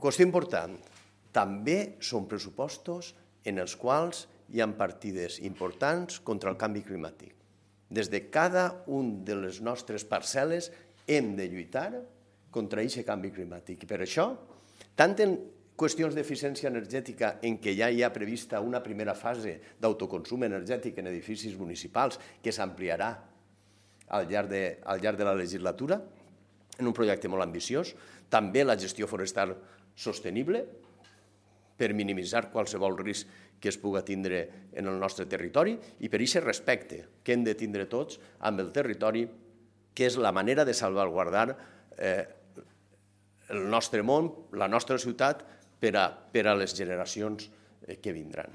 Qüestió important, també són pressupostos en els quals hi ha partides importants contra el canvi climàtic. Des de cada una de les nostres parcel·les hem de lluitar contra aquest canvi climàtic. I per això, tant en qüestions d'eficiència energètica en què ja hi ha prevista una primera fase d'autoconsum energètic en edificis municipals que s'ampliarà al llarg de la legislatura, en un projecte molt ambiciós, també la gestió forestal sostenible per minimitzar qualsevol risc que es pugui tindre en el nostre territori i per aquest respecte que hem de tindre tots amb el territori, que és la manera de salvaguardar el nostre món, la nostra ciutat, per a les generacions que vindran.